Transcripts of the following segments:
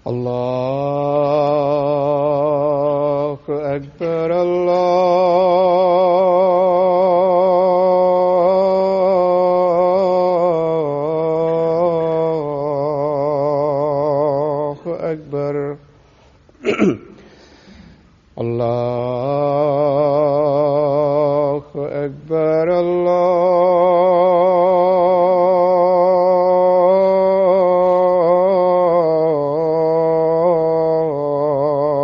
الله أكبر الله أكبر الله أكبر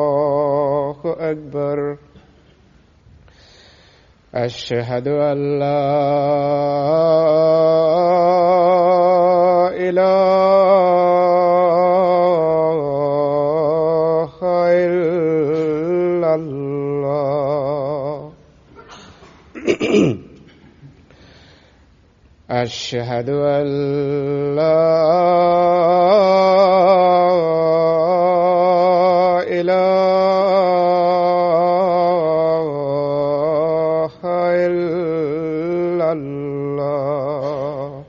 الله أكبر أشهد أن لا إله إلا الله أشهد أن لا إله إلا الله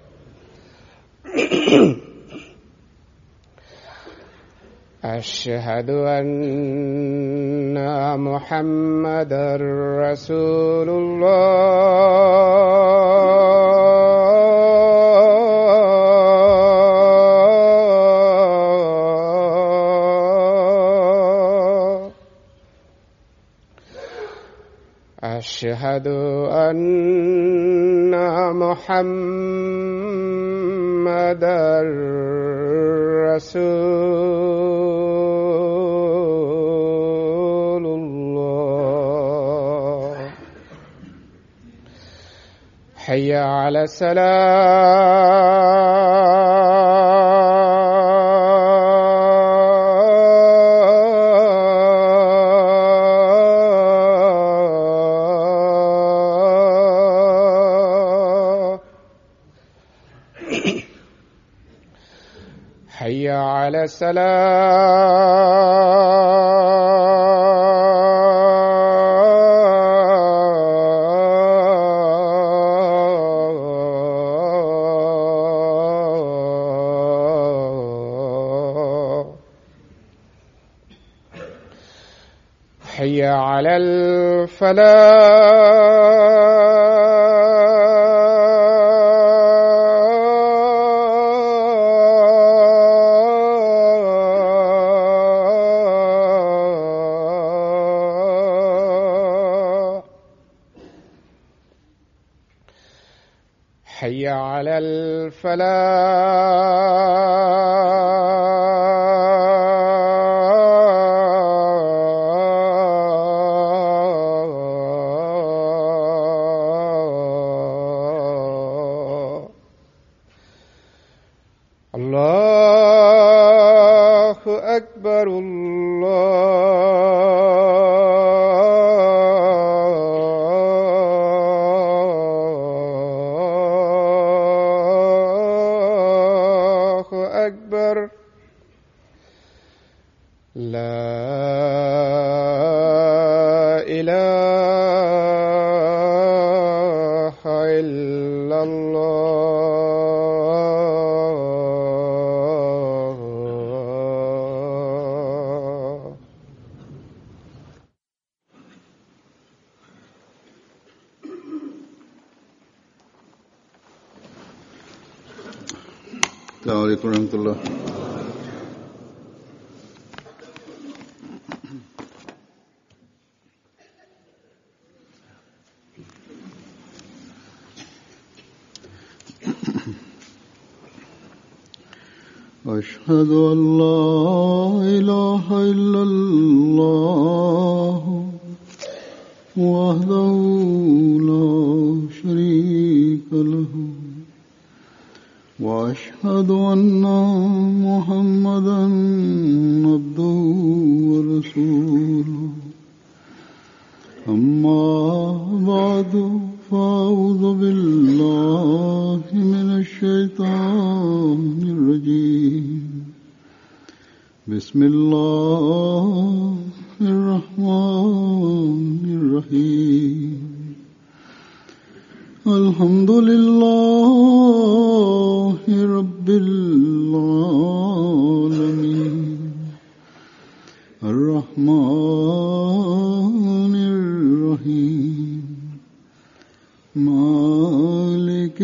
أشهد أن محمدا رسول الله أشهد أن محمدا رسول الله حي على السلام حي على السلام حي على الفلاح حي على الفلاح الله أكبر الله أكبر لا إله إلا الله. السلام عليكم ورحمة الله. أشهد أن لا إله إلا الله وحده لا شريك له وأشهد أن محمدا عبده ورسوله. أما بعد فأعوذ بالله من الشيطان الرجيم. بسم الله الرحمن الرحيم. الحمد لله رب العالمين الرحيم مالك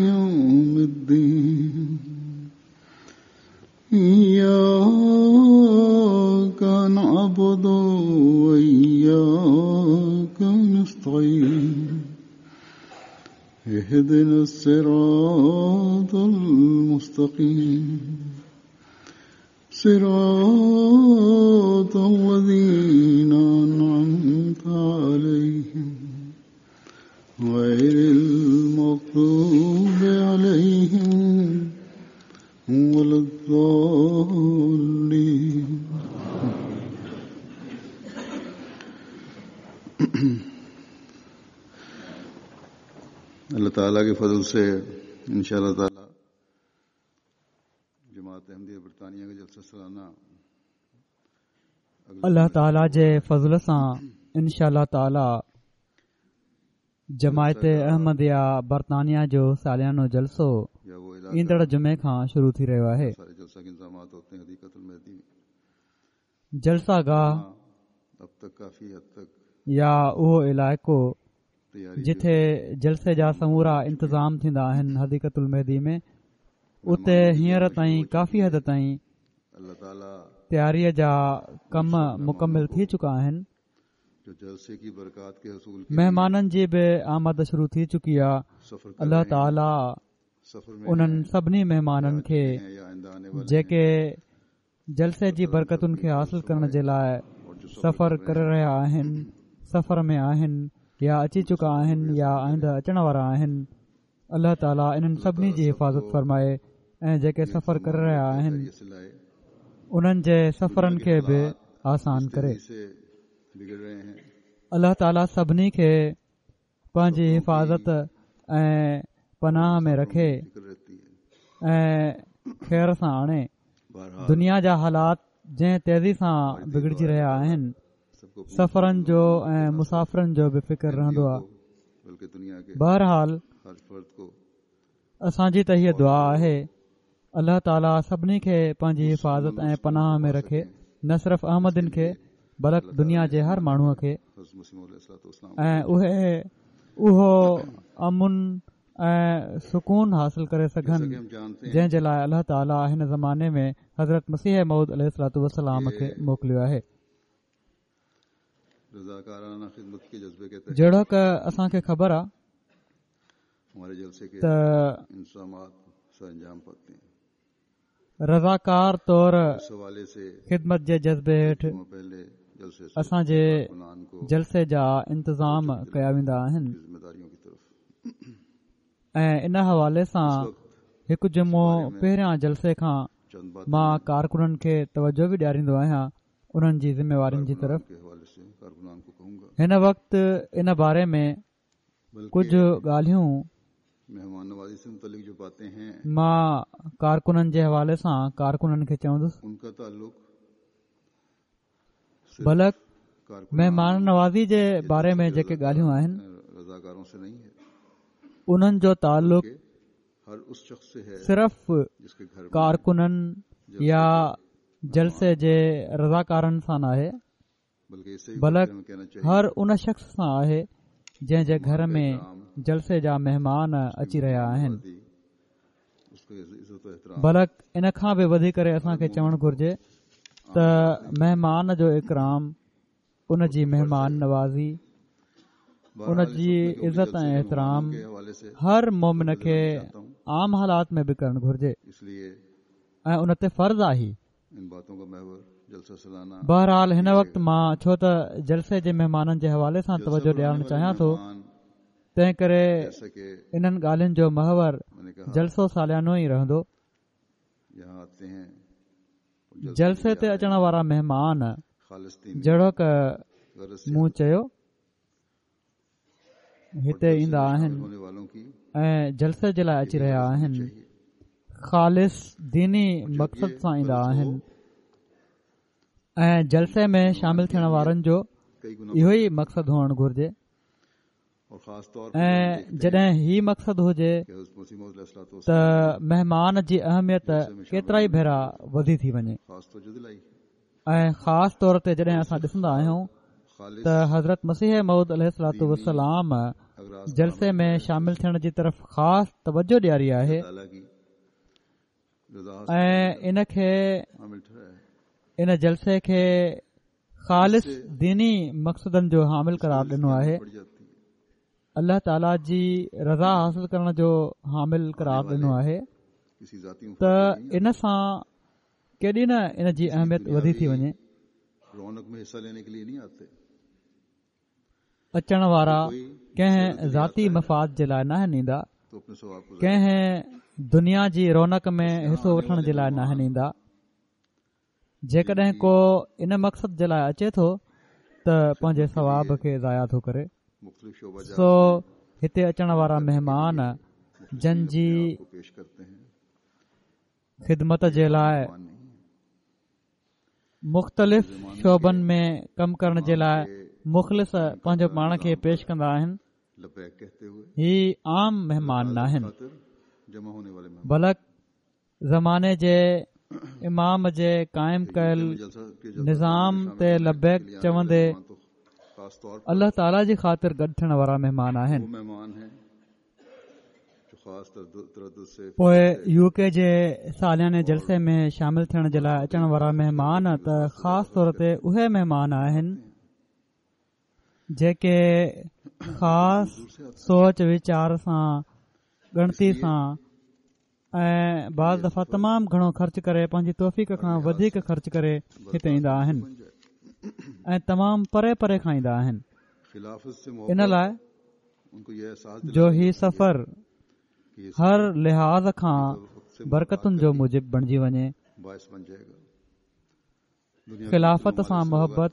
يوم الدين إياك نعبد وإياك نستعين اهدنا الصراط المستقيم صراط الذين أنعمت عليهم غير المغضوب عليهم ولا الضالين. اللہ تعالیٰ کے فضل سے انشاءاللہ تعالیٰ جماعت احمدیہ برطانیہ کا جلسہ سالانہ الله تعاليٰ جي فضل سان انشاء الله تعاليٰ جماعت احمديه برطانيه جو ساليانو جلسو یا وہ علاقہ ايندڙ جمعي کان شروع ٿي رهيو آهي. سارے جلسہ کے انتظامات ہوتے ہیں حدیقۃ المہدی میں. جلسه گاهه اب تک کافی حد تک يا اهو علائقو تیاری جتي جلسي جا سمورا انتظام ٿيندا آهن حديقة المهدي ۾ اتي هينئر تائين ڪافي حد تائين اللہ تعالیٰ تياريء جا ڪم مڪمل ٿي چڪا آهن. جو جلسے کی برکات کے حصول کے مهمانن جي به آمد شروع ٿي چڪي آهي. سفر کر الله رہے ہیں، تعاليٰ سفر میں انهن ہیں، سڀني مهمانن کي ہیں یا آئندہ آنے والے جيڪي جلسي جي برڪتن کي حاصل ڪرڻ جي لاء اور جو سفر ڪري رهيا آهن، سفر ۾ آهن يا اچي چڪا آهن يا آئنده اچڻ وارا آهن، الله تعاليٰ انهن سڀني جي حفاظت فرمائي ۽ جيڪي سفر ڪري رهيا آهن خیریت سے لائے، انهن جي سفرن کي به آسان ڪري. تیزی سے بگڑ رہے ہیں. الله تعاليٰ سڀني کي پنهنجي حفاظت ۽ پناهه ۾ رکي فکر رہتی ہے. ۽ خير سان آڻي. بہرحال دنيا جا حالات جنهن تيزي سان بگڙجي رهيا آهن، سب کو سفرن جو ۽ مسافرن جو به فڪر رهندو آهي. بلکہ دنیا کے بهرحال ہر فرد کو اسان جي ته هيء دعا آهي الله تعاليٰ سڀني کي پنهنجي حفاظت ۽ پناهه ۾ رکي، نه صرف احمدين کي بلڪ دنيا جي هر ماڻهوءَ کي، حضرت مسیح موعود علیہ الصلوۃ والسلام ۽ اهي اهو امن ۽ سڪون حاصل ڪري سگهن جیسا کہ ہم جانتے ہیں جنهن جي لاءِ الله تعاليٰ هن زماني ۾ حضرت مسيح موعود عليه الصلوۃ والسلام کي موڪليو آهي. رضاکارانہ خدمت کے جذبے کے تحت جهڙوڪ اسان کي خبر آهي ہمارے جلسے کے ته انتظامات سر انجام پاتے ہیں. رضاڪار طور اس حوالے سے خدمت جي جذبي هيٺ جمعہ پہلے جلسے سے اسان جي کارکنان کو جلسي جا انتظام ڪيا ويندا آهن کی ذمہ داریوں کی طرف ۽ ان حوالي سان هڪ جمعو پهريان جلسي کان چند باتیں مان ڪارڪنن کي توجه به ڏياريندو آهيان انهن جي ذميوارين جي طرف. کے حوالے سے کارکنان کو کہوں گا. هن وقت ان باري ۾ بلکہ ڪجهه ڳالهيون مہمان نوازی سے متعلق جو باتیں ہیں مان ڪارڪنن جي حوالي سان ڪارڪنن کي چوندس، ان کا تعلق صرف بلڪ کارکنان مهمان نوازي جي باري ۾ جيڪي ڳالهيون آهن رضاکاروں سے نہیں ہے، انهن جو تعلق کہ ہر اس شخص سے ہے صرف جس کے گھر میں ڪارڪنن يا جلسي جي رضاڪارن سان ناهي، بلکہ اس سے بھی بلڪ بڑھ کر ہمیں کہنا چاہیے هر ان شخص سان آهي جنهن جي گهر ۾ جلسي جا مهمان اچي رهيا آهن. اس کو عزت و احترام بلڪ ان کان به وڌي ڪري اسان کي چوڻ گهرجي ته مهمان جو اڪرام، ان جي مهمان نوازي، ان بہرحال اس جي وقت میں کیونکہ عزت جلسے ۽ کے احترام مہمانوں کے حوالے سے هر مومن کي عام حالات ۾ به ڪرڻ گهرجي اس لیے ۽ ان تي فرض آهي. ان باتوں کا محور جلسہ سالانہ بهرحال هن وقت مان ڇو ته جلسي جي مهمانن جي حوالي سان جلسہ توجه بلانے ڏيارڻ والے چاهيان ٿو، مہمان تنهن ڪري جیسا کہ انهن ڳالهين جو محور میں نے کہا جلسو ساليانو ئي رهندو. یہاں آتے ہیں اور جلسے جلسي کے تي لیے اچڻ وارا مهمان خالص دینی جهڙوڪ غرض سے مون چيو اور هتي جلسے ايندا میں آهن شامل ہونے والوں کی ۽ جلسي جي لاءِ اچي یہی رهيا غرض ہونی آهن، چاہیے. خالص ديني اور جب مقصد یہ سان ايندا غرض آهن ہو ۽ جلسي ۾ مہمان شامل کے ٿيڻ اہمیت وارن جو کئی گنا اهو بڑھ ئي مقصد هئڻ گهرجي. اور خاص طور پر ۽ جب ہم دیکھتے ہیں جڏهن هي مقصد هجي کہ حضرت مسیح موعود علیہ الصلوۃ ته والسلام نے مهمان جي اهميت جلسے میں شامل ڪيترا ئي ہونے ڀيرا کی وڌي ٿي وڃي خاص توجہ دلائی. ۽ خاص طور تي جڏهن اسان ڏسندا آهيون ته حضرت مسيح موعود عليه الصلوة والسلام جلسي ۾ شامل ٿيڻ جي طرف خاص توجه ڏياري آهي ۽ ان کي ان جلسي کي خالص ديني مقصدن جو حامل قرار ڏنو آهي الله تعاليٰ جي رضا حاصل ڪرڻ جو حامل قرار ڏنو آهي ته ان سان ڪيڏي نه ان جي اهميت وڌي ٿي وڃي. اچڻ وارا ڪنهن ذاتي مفاد جي لاء ناهن ايندا، ڪنهن دنيا جي رونق ۾ حصو وٺڻ جي لاء ناهن ايندا. جيڪڏهن ڪو ان مقصد جي لاء اچي ٿو ته پنهنجي ثواب کي ضايع ٿو ڪري. سو هتي اچڻ وارا مهمان جن جي خدمت جي لاء مختلف شعبن ۾ ڪم ڪرڻ جي لاء مخلص پنهنجو پاڻ کي پيش ڪندا آهن هي عام مهمان ناهن بلڪ زماني جي امام جي قائم ڪيل نظام تي لبيڪ چوندي الله تعاليٰ جي خاطر گڏ ٿيڻ وارا مهمان آهن پوء يو ڪي جي سالياني جلسي ۾ شامل ٿيڻ جي لاء اچڻ وارا مهمان ته خاص طور تي اهي مهمان آهن جيڪي خاص سوچ ويچار سان ڳڻتي سان ۽ بعض دفعا تمام گهڻو خرچ ڪري پنهنجي توفيق کان وڌيڪ خرچ ڪري هتي ايندا آهن ۽ تمام پري پري کان ايندا آهن ان لاء جو هي سفر هر لحاظ کان برڪتن جو موجب بڻجي وڃي خلافت سان محبت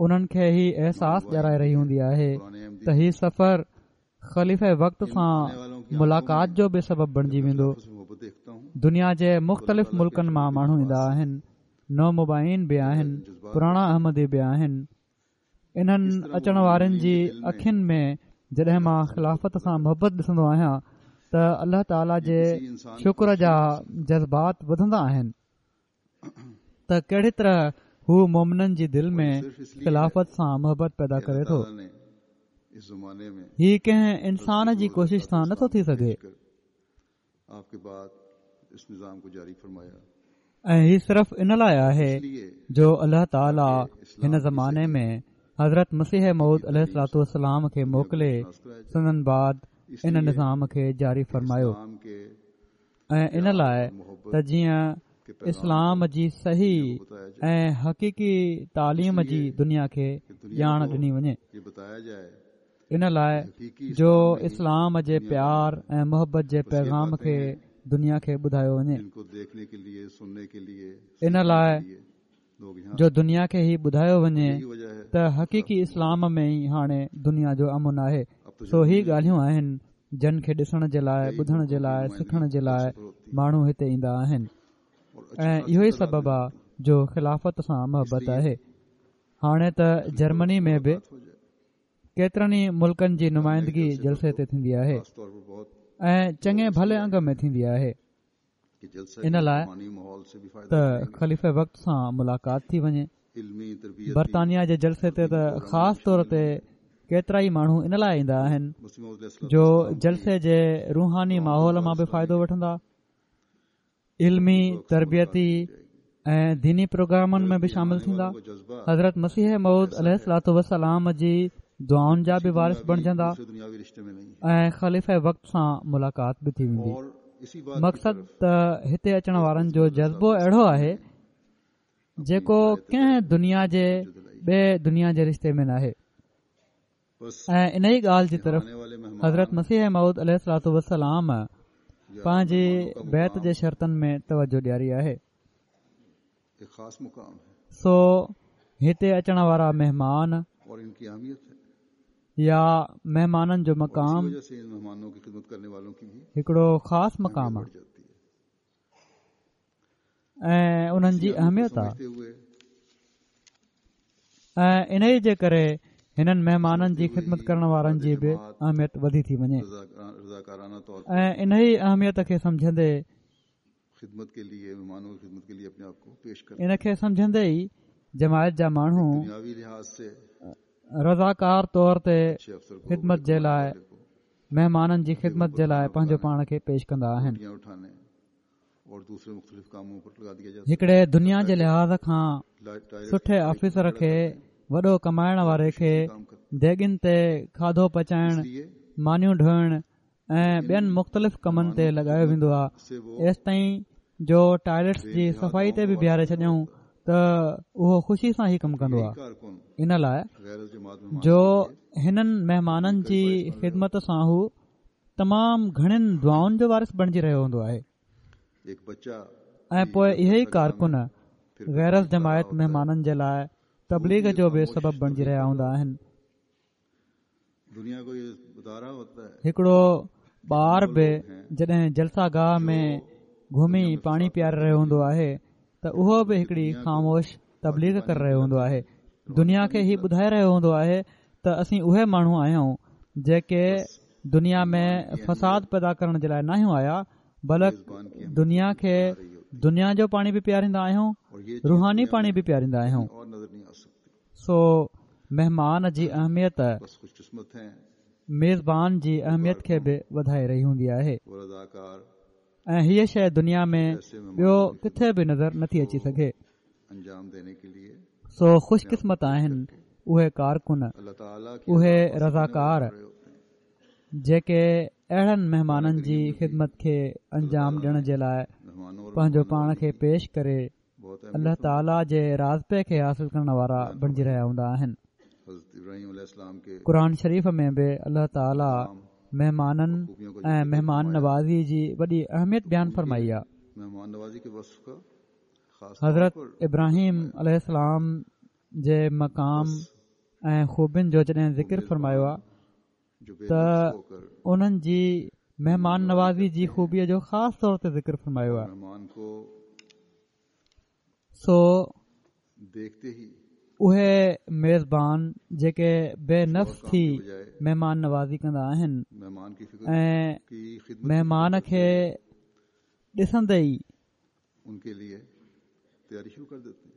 انهن کي هي احساس ڏيارائي رهي هوندي آهي ته هي سفر خليفه وقت سان ملاقات جو به سبب بڻجي ويندو دنيا جي مختلف ملڪن مان ماڻهو ايندا آهن نومبائعين به آهن پراڻا احمدي به آهن انهن اچڻ وارن جي اکين ۾ جڏهن مان خلافت سان محبت ڏسندو آهيان ته الله تعاليٰ جي شڪر جا جذبات وڌندا آهن ته ڪهڙي طرح هو مومنن جي دل ۾ خلافت سان محبت پيدا ڪري ٿو. هي ڪنهن انسان جي ڪوشش سان نٿو ٿي سگهي. ۽ هي صرف ان لاء آهي جو الله تعالي هن زماني ۾ حضرت مسيح موعود عليه الصلوة والسلام کي موڪلي سندن بعد ان نظام کي جاري فرمايو. ۽ ان لاء ته جيئن اسلام جي صحيح ۽ حقيقي تعليم جي دنيا کي ڄاڻ ڏني وڃي ان لاء جو اسلام جي پيار ۽ محبت جي پيغام کي دنيا کي ٻڌايو وڃي ان لاء جو دنيا کي هي ٻڌايو وڃي ته حقيقي اسلام ۾ ئي هاڻي دنيا جو امن آهي سو هي ڳالهيون آهن جن کي ڏسڻ جي لاء ٻڌڻ جي لاء سکڻ جي لاء ماڻهو هتي ايندا آهن ۽ اهو ئي سبب آ جو خلافت سان محبت آهي هاڻي ته جرمني ۾ به ڪيترن ئي ملڪن جي نمائندگي جلسي تي ٿيندي آهي ۽ چڱي ڀلي انگ ۾ ٿيندي آهي ان لاء ته خليفه وقت سان ملاقات ٿي وڃي. برطانيا جي جلسي تي ته خاص طور تي ڪيترائي ماڻهو ان لاء ايندا آهن جو جلسي جي روحاني ماحول مان به فائدو وٺندا، علمي، تربيتي ۽ ديني پروگرامن ۾ به شامل ٿيندا، حضرت مسيح موعود عليه الصلوة والسلام جي دعائن جا به وارث بڻجندا ۽ خليفه وقت سان ملاقات به ٿي ويندي. مقصد ته هتي اچڻ وارن جو جذبو اهڙو آهي جيڪو ڪنهن دنيا جي ٻئي دنيا جي رشتي ۾ ناهي ۽ ان ئي ڳالهه جي طرف حضرت مسيح موعود عليه الصلوة والسلام پنهنجي بيعت جي شرطن ۾ توجه ڏياري آهي سو هتي اچڻ وارا مهمان يا مهمانن جو مقام هڪڙو خاص مقام آهي ۽ انهن جي اهميت آهي ۽ انهي جي ڪري هنن مهمانن جي خدمت ڪرڻ وارن جي به اهميت وڌي ٿي وڃي ۽ انهي اهميت کي سمجهندي ان کي سمجهندي ئي جماعت جا ماڻهو رضاڪار طور تي خدمت جي لاء مهمانن جي خدمت جي لاء پنهنجو پاڻ کي پيش ڪندا آهن. هڪڙي دنيا جي لحاظ کان سٺي آفيسر کي وڏو ڪمائڻ واري کي ديڳين تي کاڌو پچائڻ، مانيون ڍوئڻ ۽ ٻين مختلف ڪمن تي لڳايو ويندو آهي ايستائين جو ٽائليٽس جي صفائي تي به بيهاري ڇڏيائون ته اهو خوشي سان هي ڪم ڪندو آهي ان لاء جو هنن مهمانن جي خدمت سان هو تمام گهڻين دعائن جو وارث بڻجي رهيو هوندو آهي ۽ پوء اهي ئي ڪارڪن غير از جماعت مهمانن جي لاء تبليغ جو به سبب بڻجي رهيا هوندا آهن هڪڙو ٻار به جڏهن جلسه گاهه ۾ گهمي پاڻي پياري رهيو هوندو آهي ته اهو به هڪڙي خاموش تبليغ ڪري رهيو هوندو آهي دنيا کي هي ٻڌائي رهيو هوندو آهي ته اسين اهي ماڻهو آهيون جيڪي دنيا ۾ فساد پيدا ڪرڻ جي لاء ناهيون آيا بلڪ دنيا کي دنيا جو پاڻي به پياريندا آهيون روحاني پاڻي به پياريندا آهيون سو مهمان جي اهميت ميزبان جي اهميت کي به وڌائي رهي هوندي آهي ۽ هيء شيء دنيا ۾ ٻيو ڪٿي به نظر نٿي اچي سگهي سو خوش قسمت آهن اهي ڪارڪن اهي رضاڪار جيڪي اهڙن مهمانن جي خدمت کي انجام ڏيڻ جي لاء پنهنجو پاڻ کي پيش ڪري الله تعاليٰ جي راضپي کي حاصل ڪرڻ وارا بڻجي رهيا هوندا آهن. قرآن شريف ۾ به الله تعاليٰ مهمانن ۽ مهمان نوازي جي وڏي اهميت بيان فرمائي آهي. حضرت ابراهيم عليه السلام جي مقام ۽ خوبين جو جڏهن ذڪر فرمايو آهي ته انهن جي مهمان نوازي جي خوبيء جو خاص طور تي ذڪر فرمايو آهي سو اهي ميزبان جيڪي بي نفس ٿي مهمان نوازي ڪندا آهن ۽ مهمان کي ڏسندي ئي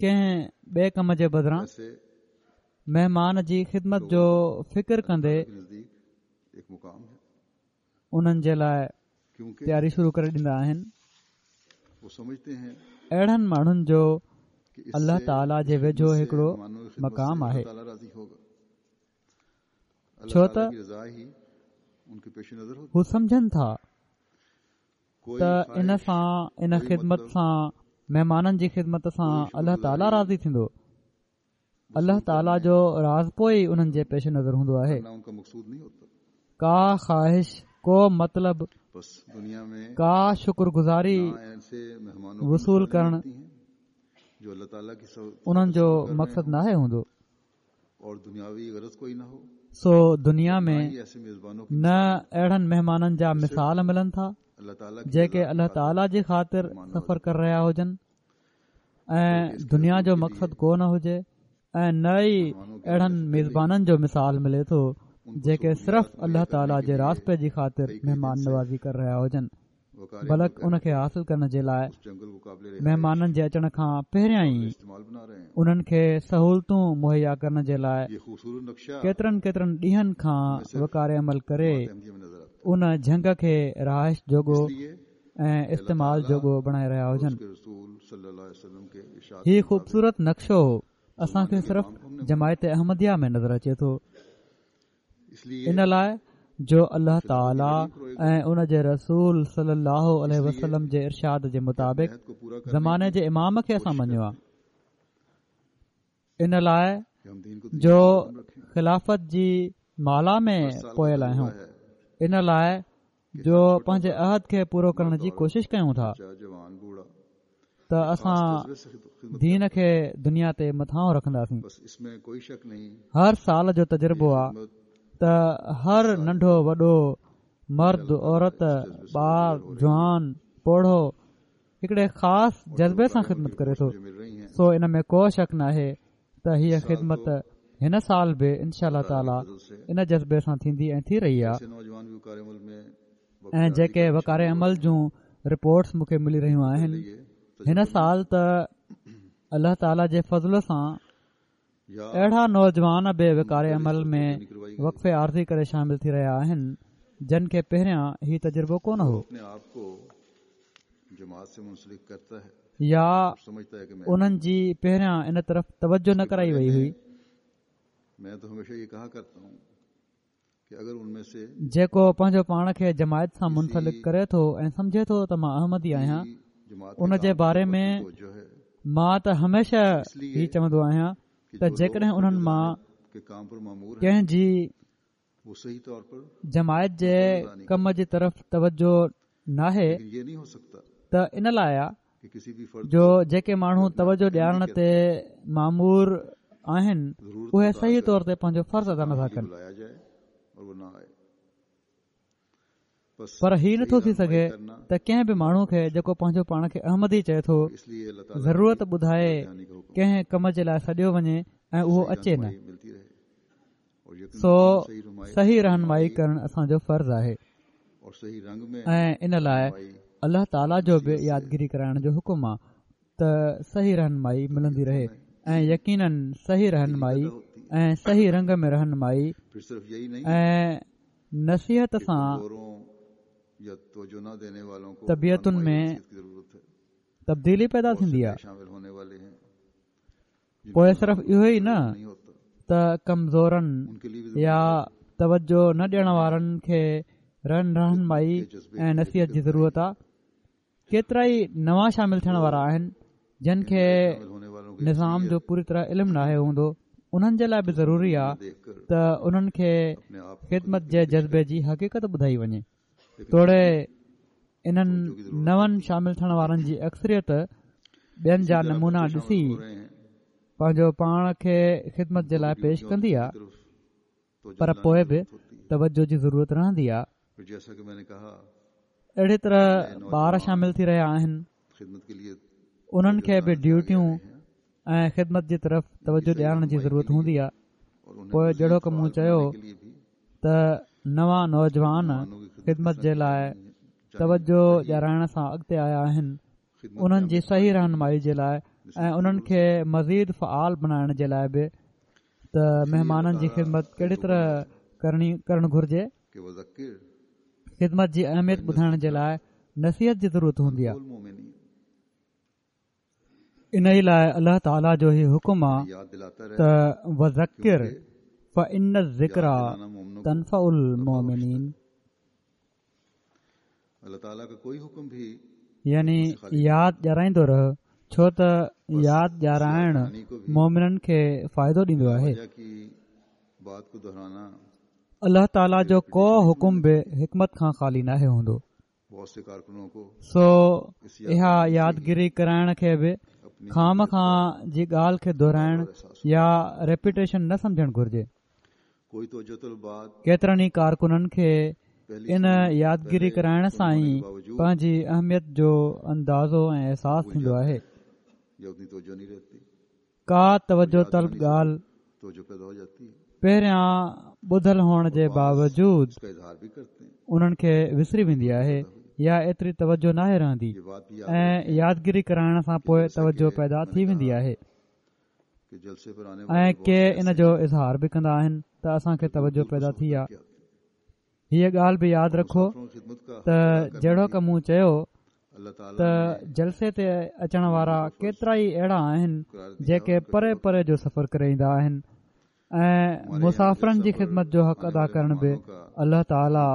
ڪنهن ٻئي ڪم جي بدران مهمان جي خدمت جو فڪر ڪندي انهن جي لاء تياري شروع ڪري ڏيندا آهن اهڙن ماڻهن جو الله تعاليٰ جي ويجهو هڪڙو مقام آهي ڇو ته هو سمجهن ٿا ته ان سان ان خدمت سان مهمانن جي خدمت سان الله تعاليٰ راضي ٿيندو الله تعاليٰ جو راضپو ئي انهن جي پيش نظر هوندو آهي ڪا خواهش ڪو مطلب ڪا شڪر گذاري وصول ڪرڻ انهن جو مقصد ناهي هوندو سو دنيا ۾ نه اهڙن مهمانن جا مثال ملن ٿا جيڪي الله تعاليٰ جي خاطر سفر ڪري رهيا هجن ۽ دنيا جو مقصد ڪو نه هجي ۽ نه ئي اهڙن ميزبانن جو مثال ملي ٿو جيڪي صرف الله تعاليٰ جي راضپي جي خاطر مهمان نوازي ڪري رهيا هجن بلڪ ان کي حاصل ڪرڻ جي لاء مهمانن جي اچڻ کان پهريان ئي انهن کي سهولتون مهيا ڪرڻ جي لاء ڪيترن ڪيترن ڏينهن کان وقار عمل ڪري ان جهنگ کي رهائش جوڳو ۽ استعمال جوڳو بڻائي رهيا هجن هي خوبصورت نقشو اسان کي صرف جماعت احمديه ۾ نظر اچي ٿو ان لاء جو الله تعالي ۽ ان جي رسول صلي الله عليه وسلم جي ارشاد جي مطابق زماني جي امام کي اسان مڃيو آهي ان لاء جو خلافت جي مالا ۾ پويل آهيون ان لاء جو پنهنجي عهد کي پورو ڪرڻ جي ڪوشش ڪيون ٿا ته اسان دين کي دنيا تي مٿانهون رکنداسين هر سال جو تجربو آ ته هر ننڍو وڏو مرد عورت ٻار جوان پوڙهو هڪڙي خاص جذبي سان خدمت ڪري ٿو سو ان ۾ ڪو شڪ ناهي ته هيء خدمت هن سال به انشاء الله تعاليٰ ان جذبي سان ٿيندي ۽ ٿي رهي آهي ۽ جيڪي وقار عمل جون رپورٽس مون کي ملي رهيون آهن هن سال ته الله تعاليٰ جي فضل سان اهڙا نوجوان به وقار عمل ۾ وقف عارضي ڪري شامل ٿي رهيا آهن جن کي پهريان هي تجربو ڪونه هو. يا انهن جي پهريان ان طرف توجه نه ڪرائي وئي هئي. جيڪو پنهنجو پاڻ کي جماعت سان منسلڪ ڪري ٿو ۽ سمجهي ٿو ته مان احمدي آهيان ان جي باري ۾ مان ته هميشه هي چوندو آهيان ته جيڪڏهن انهن مان ڪنهن جي جماعت جي ڪم جي طرف توجه ناهي ته ان لاء آ جو جيڪي ماڻهو توجه ڏيارڻ تي مامور آهن اهي صحيح طور تي پنهنجو فرض ادا نٿا ڪن پر هي نٿو ٿي سگهي ته ڪنهن به ماڻهو کي جيڪو پنهنجو پاڻ کي احمدي چئي ٿو ضرورت ٻڌائي ڪنهن ڪم جي لاء سڏيو وڃي ۽ اهو اچي نه سو صحيح رهنمائي ڪرڻ اسان جو فرض آهي ۽ ان لاء الله تعاليٰ جو به يادگيري ڪرائڻ جو حڪم آ ته صحيح رهنمائي ملندي رهي ۽ يقينن صحيح رهنمائي ۽ صحيح رنگ ۾ رهنمائي ۽ نصيحت سان طبيعتن ۾ تبديلي پيدا ٿيندي آ پوء صرف اهو ئي نه ته ڪمزورن يا توجه نه ڏيڻ وارن کي رهنمائي ۽ نصيحت جي ضرورت آ ڪيترا ئي نوان شامل ٿيڻ وارا آهن جن کي نظام جو پوري طرح علم ناهي هوندو انهن جي لاء به ضروري آ ته انهن کي خدمت جي جذبي جي حقيقت ٻڌائي وڃي توڙي انهن نون شامل ٿيڻ وارن جي اڪثريت ٻين جا نمونا ڏسي پنهنجو پاڻ کي خدمت جي لاء پيش ڪندي آ پر پوء به توجه جي ضرورت رهندي آ اهڙي طرح ٻار شامل ٿي رهيا آهن انهن کي به ڊيوٽيون ۽ خدمت جي طرف توجه ڏيارڻ جي ضرورت هوندي آ پوء جهڙوڪ مون چيو ته نوان نوجوان خدمت جي لاء توجه ڏيارائڻ سان اڳتي آيا آهن انهن جي صحيح رهنمائي جي لاء ۽ انهن کي مزيد فعال بنائڻ جي لاء به ته مهمانن جي خدمت ڪهڙي طرح ڪرڻي ڪرڻ گهرجي خدمت جي اهميت ٻڌائڻ جي لاء نصيحت جي ضرورت هوندي آهي انهي لاء الله تعاليٰ جو هي حڪم آ ته وذڪر فان الذڪريٰ تنفع المؤمنين يعني ياد ڏيارائيندو رهه ڇو ته ياد ڏيارائڻ مؤمنن کي فائدو ڏيندو آهي. الله تعاليٰ جو ڪو حڪم به حڪمت کان خالي ناهي هوندو. سو اها يادگيري ڪرائڻ کي به خوامخواه جي ڳالهه کي دهرائڻ يا ريپيٽيشن نه سمجهڻ گهرجي. ڪيترن ئي ڪارڪنن کي ان يادگيري ڪرائڻ سان ئي پنهنجي اهميت جو اندازو ۽ احساس ٿيندو آهي. ڪا توجه طلب ڳالهه پهريان ٻڌل هئڻ جي باوجود انهن کي وسري ويندي آهي يا ايتري توجه ناهي رهندي ۽ يادگيري ڪرائڻ سان پوء توجه پيدا ٿي ويندي آهي ۽ ڪي ان جو اظهار به ڪندا آهن ته اسان کي توجه پيدا ٿي آ هيء ڳالهه به ياد رکو ته جهڙوڪ مون چيو ته جلسي تي اچڻ وارا ڪيترائي اهڙا آهن جيڪي پري پري جو سفر ڪري ايندا آهن ۽ مسافرن جي خدمت جو حق ادا ڪرڻ به الله تعاليٰ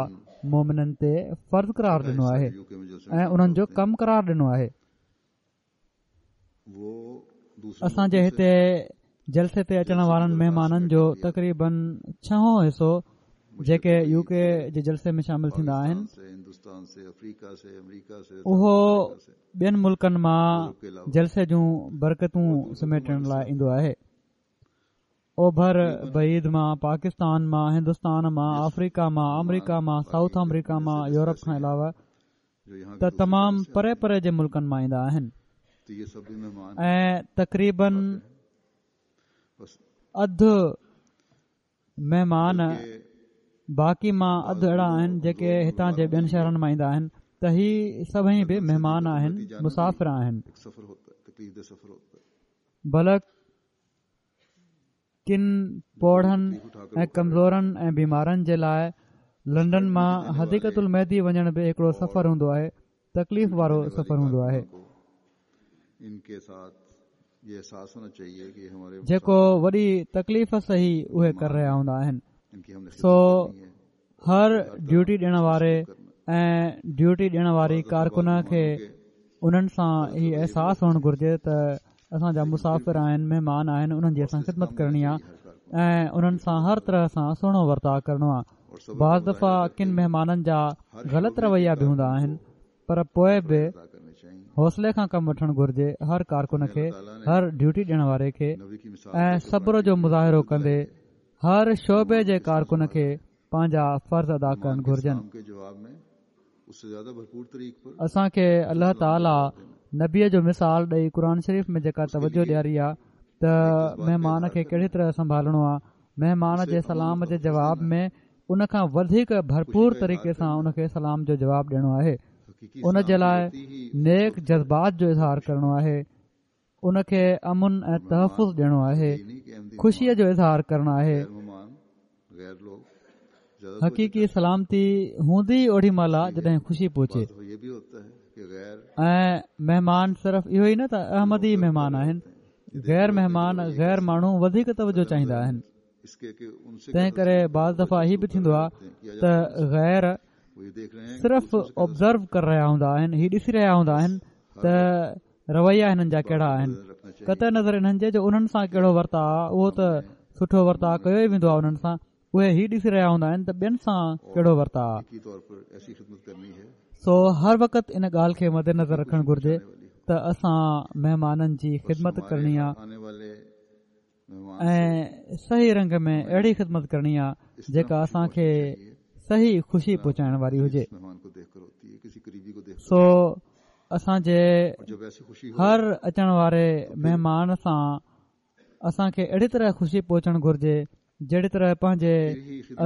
مومنن تي فرض قرار ڏنو آهي ۽ انهن جو ڪم قرار ڏنو آهي اسان جي هتي جلسي تي اچڻ وارن مهمانن جو تقريبن ڇهون حصو جيڪي يو ڪي جي جلسي ۾ شامل ٿيندا آهن اهو ٻين ملڪن مان جلسي جون برڪتون سميٽڻ لاء ايندو آهي اوڀر بعيد مان پاڪستان مان هندستان مان آفريڪا مان آمريڪا مان سائوٿ آمريڪا مان يورپ کان علاوه ته تمام پري پري جي ملڪن مان ايندا آهن ۽ تقريبن اڌ مهمان باقي مان اڌ اهڙا آهن جيڪي هتان جي ٻين شهرن مان ايندا آهن ته هي سڀئي به مهمان آهن مسافر آهن بلڪ. ڪن پوڙهن ۽ ڪمزورن ۽ بيمارن جي لاء لنڊن مان حديقة المهدي وڃڻ به هڪڙو سفر هوندو آهي، تڪليف وارو سفر هوندو آهي. جيڪو وڏي تڪليف سهي اهي ڪري رهيا هوندا آهن. سو هر ڊيوٽي ڏيڻ واري ۽ ڊيوٽي ڏيڻ واري ڪارڪن کي انهن سان هي احساس هئڻ گهرجي ته اسان جا مسافر آهن مهمان آهن انهن جي اسان خدمت ڪرڻي آهي ۽ انهن سان هر طرح سان سهڻو ورتاء ڪرڻو آهي بعض دفعا ڪن مهمانن جا غلط رويا به هوندا آهن پر پوء به حوصلي کان ڪم وٺڻ گهرجي هر ڪارڪن کي هر ڊيوٽي ڏيڻ واري کي ۽ صبر جو مظاهرو ڪندي هر شعبي جي ڪارڪن کي پنهنجا فرض ادا ڪرڻ گهرجن. اسان کي الله تعالي نبيء جو مثال ڏئي قرآن شريف ۾ جيڪا توجه ڏياري آ ته مهمان کي ڪهڙي طرح سنڀالڻو آ مهمان جي سلام جي جواب ۾ ان کان وڌيڪ ڀرپور طريقي سان ان کي سلام جو جواب ڏيڻو آهي ان جي لاء نيڪ جذبات جو اظهار ڪرڻو آهي ان کي امن ۽ تحفظ ڏيڻو آهي خوشيء جو اظهار ڪرڻو آهي حقيقي سلامتي هوندي ئي اوڏي مهل آ جڏهن خوشي پهچي ۽ مهمان صرف اهو ئي نه ته احمدي مهمان آهن غير مهمان غير ماڻهو وڌيڪ توجه چاهيندا آهن تنهن ڪري بعض دفعا هي به ٿيندو آهي ته غير صرف آبزرو ڪري رهيا هوندا آهن هي ڏسي رهيا هوندا آهن ته رويا هنن جا ڪهڙا آهن قطع نظر انهن جي جو انهن سان ڪهڙو ورتاء آهي اهو ته سٺو ورتاء ڪيو ئي ويندو آهي انهن سان اهي هي ڏسي رهيا هوندا آهن ته ٻين سان ڪهڙو ورتاء آهي سو هر وقت ان ڳالهه کي مد نظر رکڻ گهرجي ته اسان مهمانن جي خدمت ڪرڻي آهي ۽ صحيح رنگ ۾ اهڙي خدمت ڪرڻي آ جيڪا اسان کي صحيح خوشي پهچائڻ واري هجي سو اسان جي هر اچڻ واري مهمان سان اسان کي اهڙي طرح خوشي پهچڻ گهرجي جهڙي طرح پنهنجي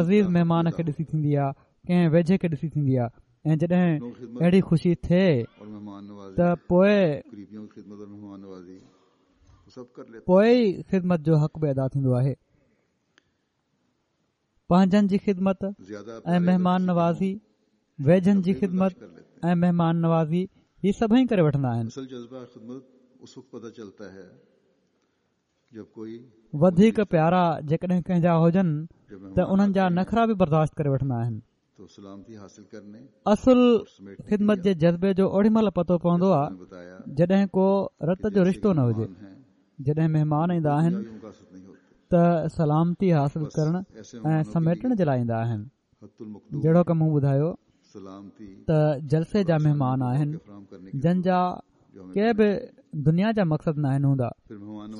عزيز مهمان کي ڏسي ٿيندي آ ڪنهن ويجهي کي ڏسي ٿيندي آ ۽ جڏهن اهڙي خوشي ٿئي ته پوء پوء ئي خدمت جو حق به ادا ٿيندو آهي. پنهنجن جي خدمت ۽ مهمان نوازي، ويجهن جي خدمت ۽ مهمان نوازي هي سڀئي ڪري وٺندا آهن. وڌيڪ پيارا جيڪڏهن ڪنهن جا هجن ته انهن جا نخرا به برداشت ڪري وٺندا آهن. اصل خدمت جي جذبي جو اوڏي مهل پتو پوندو آهي جڏهن ڪو رت جو رشتو نه هجي جڏهن مهمان ايندا آهن ته سلامتي حاصل ڪرڻ ۽ سميٽڻ جي لاء ايندا آهن جهڙوڪ مون ٻڌايو ته جلسي جا مهمان آهن جن جا ڪي به دنيا جا مقصد ناهن هوندا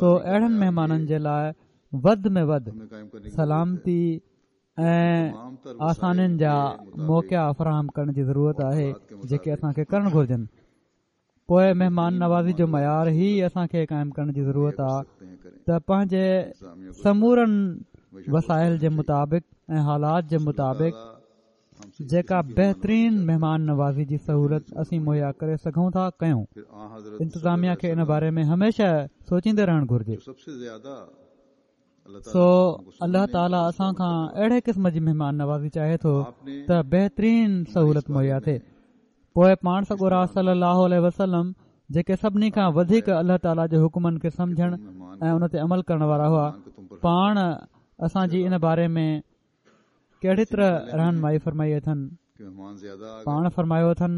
سو اهڙن مهمانن جي لاء وڌ ۾ وڌ سلامتي ۽ آسانين جا موقعا فراهم ڪرڻ جي ضرورت آهي جيڪي اسان کي ڪرڻ گهرجن پوء مهمان نوازي جو معيار هي اسان کي قائم ڪرڻ جي ضرورت آهي ته پنهنجي سمورن وسائل جي مطابق ۽ حالات جي مطابق جيڪا بهترين مهمان نوازي جي سهولت اسين مهيا ڪري سگهون ٿا ڪيون انتظاميا کي ان باري ۾ هميشه سوچيندي رهڻ گهرجي سو الله تعاليٰ اسان کان اهڙي قسم جي مهمان نوازي چاهي ٿو ته بهترين سهولت مهيا ٿئي پوء پاڻ سڳورا صلي الله عليه وسلم جيڪي سڀني کان وڌيڪ الله تعاليٰ جي حڪمن کي سمجهڻ ۽ ان تي عمل ڪرڻ وارا هئا پاڻ اسان جي ان باري ۾ ڪهڙي طرح رهنمائي فرمائي اٿن پاڻ فرمايو اٿن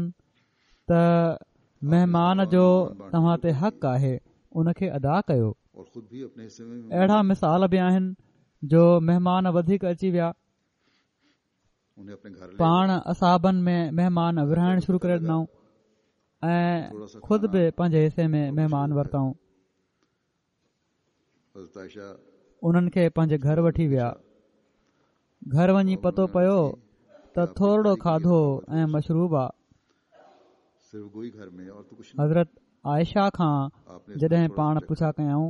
ته مهمان جو توهان تي حق آهي ان کي ادا ڪيو اهڙا مثال به آهن جو مهمان وڌيڪ اچي ويا پاڻ اصحابن ۾ مهمان ورهائڻ شروع ڪري ڏنائون ۽ خود به پنهنجي حصي ۾ مهمان ورتائون انهن کي پنهنجي گهر وٺي ويا گهر وڃي پتو پيو ته ٿورڙو کاڌو ۽ مشروب آ حضرت عائشه کان جڏهن پاڻ پڇا ڪيائون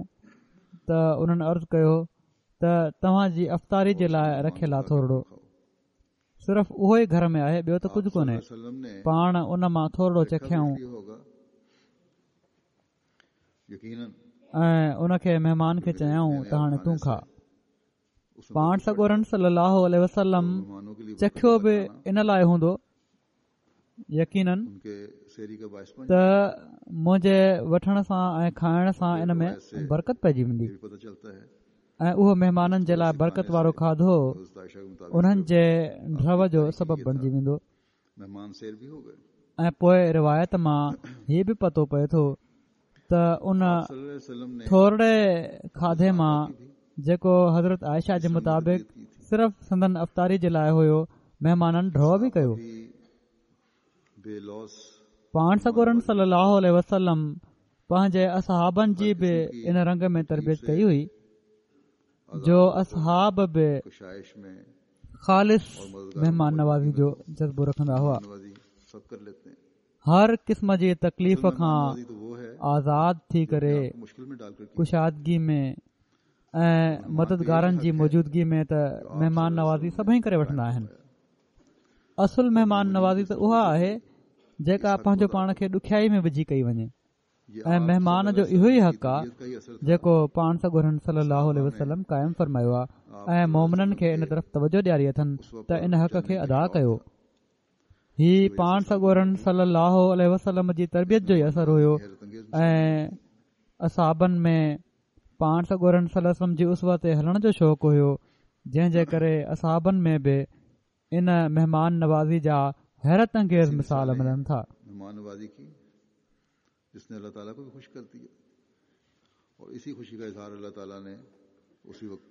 ته انهن عرض ڪيو ته توهان جي افطاري جي لاء رکيل آ ٿورڙو صرف اهو ئي گهر ۾ آهي ٻيو ته ڪجهه ڪونهي پاڻ ان مان ٿورڙو چکيائون ۽ ان کي مهمان کي چيائون ته هاڻي تون کاء. پاڻ سڳورن صلي الله عليه وسلم چکيو به ان لاء هوندو يقينن ته منهنجي وٺڻ سان ۽ کائڻ سان ان ۾ برڪت پئجي ويندي ۽ اهو مهمانن جي لاء برڪت وارو کاڌو انهن جي ڍؤ جو سبب بڻجي ويندو ۽ پوء روايت مان هي به پتو پئي ٿو ته ان ٿورڙي کاڌي مان جيڪو حضرت عائشه جي مطابق صرف سندن افطاري جي لاء هيو مهمانن ڍؤ به ڪيو. پاڻ سڳورن صلي الله عليه وسلم پنهنجي اصحابن جي به ان رنگ ۾ تربيت ڪئي هئي جو اصحاب به خالص مهمان نوازي جو جذبو رکندا هئا. هر قسم جي تڪليف کان آزاد ٿي ڪري ڪشادگي ۾ ۽ مددگارن جي موجودگي ۾ ته مهمان نوازي سڀئي ڪري وٺندا آهن اصل مهمان نوازي ته اها آهي جيڪا پنهنجو پاڻ کي ڏکيائي ۾ وجهي ڪئي وڃي ۽ مهمان جو اهو ئي حق آهي جيڪو پاڻ سڳورن صلي الله عليه وسلم قائم فرمايو آهي ۽ مومنن کي ان طرف توجه ڏياري اٿن ته ان حق کي ادا ڪيو هي پاڻ سڳورن صلي الله عليه وسلم جي تربيت جو ئي اثر هيو ۽ اصحابن ۾ پاڻ سڳورن صلي وسلم جي اسوه تي هلڻ جو شوق هيو جنهن جي ڪري اصحابن ۾ به ان مهمان نوازي جا حيرت انگيز مثال ملن ٿا. مهمان نوازي ڪي جس ني الله تعالي ڪو به خوش ڪر ديا اور اسي خوشي ڪا اظهار الله تعالي ني اسي وقت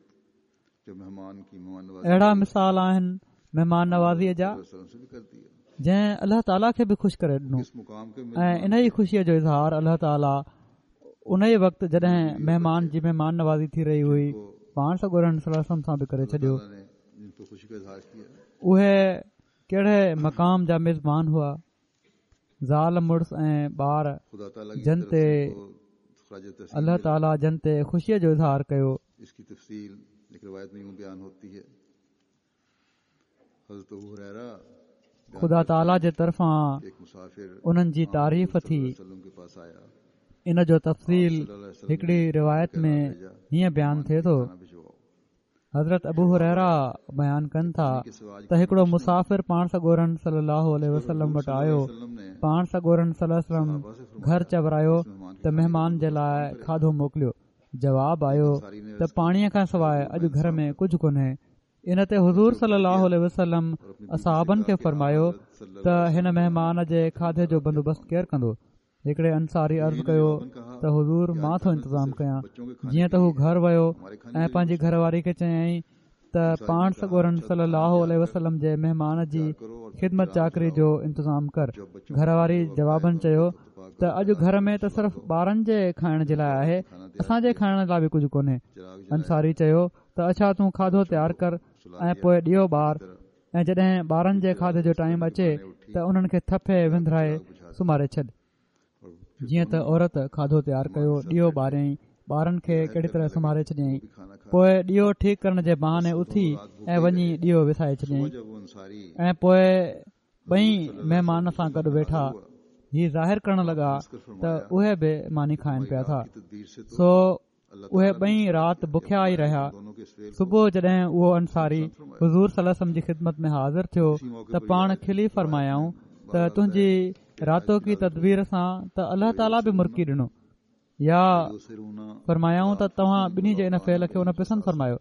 جب مهمان ڪي مهمان نوازي اهڙا مثال آهن مهمان نوازي جا جنهن الله تعالي کي به خوش ڪري ڏنو ۽ ان ئي خوشيء جو اظهار الله تعالي ان ئي وقت جڏهن مهمان جي مهمان نوازي ٿي رهي هئي پاڻ سڳورن صلي الله عليه وسلم سان به ڪري ڇڏيو اهي ڪهڙي مقام جا ميزبان هئا زال مڙس ۽ ٻار جن تي الله تعاليٰ جن تي خوشيء جو اظهار ڪيو. خدا تعاليٰ جي طرفان انهن جي تعريف ٿي. ان جو تفصيل هڪڙي روايت ۾ هيئن بيان ٿئي ٿو. حضرت ابو هريره بيان ڪن ٿا ته هڪڙو مسافر پاڻ سڳورن صلي الله عليه وسلم وٽ آيو پاڻ سڳورن صلي الله عليه وسلم گهر چورايو ته مهمان جي لاء کاڌو موڪليو جواب آيو ته پاڻي کان سواء اڄ گهر ۾ ڪجهه ڪونهي ان تي حضور صلي الله عليه وسلم اصحابن کي فرمايو ته هن مهمان جي کاڌي جو بندوبست ڪير ڪندو هڪڙي انصاري عرض ڪيو ته حضور مان ٿو انتظام ڪيان جيئن ته هو گهر ويو ۽ پنهنجي گهر واري کي چيائين ته پاڻ سڳورن صلي الله عليه وسلم جي مهمان جي خدمت چاڪري جو انتظام ڪر گهر واري جوابن چيو ته اڄ گهر ۾ ته صرف ٻارن جي کائڻ جي لاء آهي اسان جي کائڻ لاء به ڪجهه ڪونهي انصاري چيو ته اڇا تون کاڌو تيار ڪر ۽ پوء ڏيئو ٻار ۽ جڏهن ٻارن جي کاڌي جو ٽائيم اچي ته انهن کي ٿڦي وندرائي سمهاري ڇڏ. جيئن ته عورت کاڌو تيار ڪيو، ڏيئو ٻاريائين، ٻارن کي ڪهڙي طرح سمهاري ڇڏيائين. پوء ڏيئو ٺيڪ ڪرڻ جي بهاني اٿي ۽ وڃي ڏيئو وسائي ڇڏيائين ۽ پوء ٻئي مهمان سان گڏ ويٺا. هي ظاهر ڪرڻ لڳا ته اهي به ماني کائن پيا ٿا. سو اهي ٻئي رات بکيا ئي رهيا. صبح جڏهن اهو انصاري حضور صلي الله عليه وسلم جي خدمت ۾ حاضر ٿيو ته پاڻ کلي فرمايائون ته تنهنجي راتوڪي تدبير سان ته الله تعاليٰ به مرڪي ڏنو يا فرمايائون ته توهان ٻنهي جي ان فعل کي ان پسند فرمايو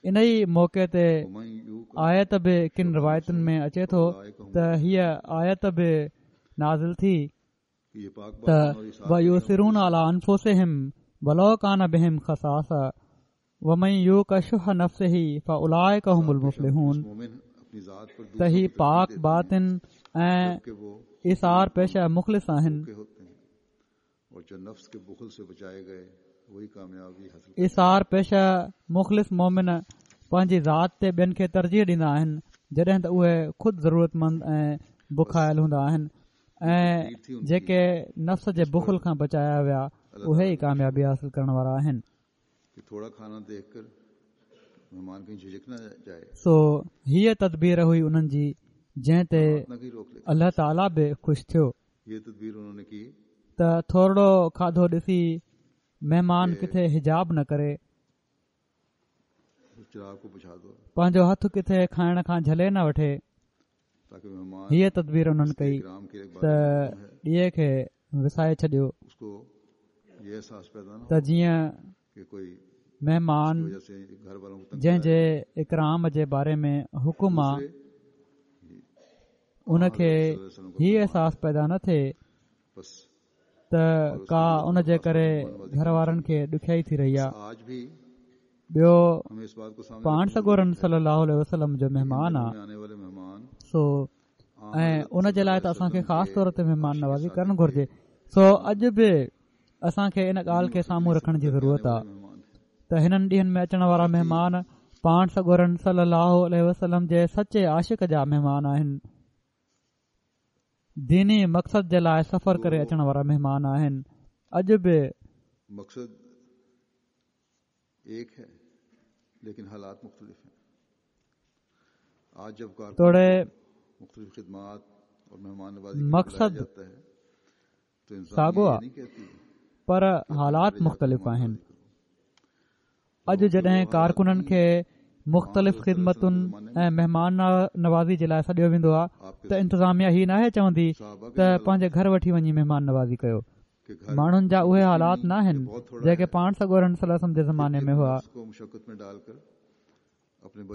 ان ئي موقعي تي آيت به ڪن روايتن ۾ اچي ٿو ته هيء آيت به نازل ٿي ته ويؤثرون علي انفسهم ولو ڪان بهم خصاصه ومن يوق شح نفسه فاولئڪ هم المفلحون ته هي پاڪ باطن ۽ ايثار پيشه مخلص آهن ايثار پيشه مخلص مومن پنهنجي ذات تي ٻين کي ترجيح ڏيندا آهن جڏهن ته اهي خود ضرورتمند ۽ بکايل هوندا آهن ۽ جيڪي نفس جي بخل کان بچايا ويا اهي ئي ڪاميابي حاصل ڪرڻ وارا آهن. سو هيء تدبير هئي انهن جي جنهن تي الله تعاليٰ به خوش ٿيو ته ٿورڙو کاڌو ڏسي مهمان ڪٿي حجاب نه ڪري. پنهنجو هٿ ڪٿي کائڻ کان جهلي نه وٺي. هيء تدبير انهن ڪئي ته ڏيئي کي وسائي ڇڏيو ته جيئن مهمان جنهن جي اڪرام جي باري ۾ حڪم آ ان کي هي احساس پيدا نه ٿئي ته ڪا ان جي ڪري گهر وارن کي ڏکيائي ٿي رهي آ. ٻيو پاڻ سڳورن صلي الله عليه وسلم جو مهمان آ سو ۽ ان جي لاء ته اسان کي خاص طور تي مهمان نوازي ڪرڻ گهرجي. سو اڄ به اسان کي ان ڳالهه کي سامهون رکڻ جي ضرورت آ ته هنن ڏينهن ۾ اچڻ وارا مهمان پاڻ سڳورن صلي الله عليه وسلم جي سچي عاشق جا مهمان آهن. ديني مقصد جي لاء سفر ڪري اچڻ وارا مهمان آهن. اڄ به مقصد ايڪ هي ليڪن حالات مختلف هين. توڙي مقصد ساڳو آ پر حالات مختلف آهن. اڄ جڏهن ڪارڪنن کي مختلف خدمتن ۽ مهمان نوازي جي لاء سڏيو ويندو آ ته انتظاميا هي ناهي چوندي ته پنهنجي گهر وٺي وڃي مهمان نوازي ڪيو. ماڻهن جا اهي حالات ناهن جيڪي پاڻ سڳورن صلي الله عليه وسلم جي زماني ۾ هئا.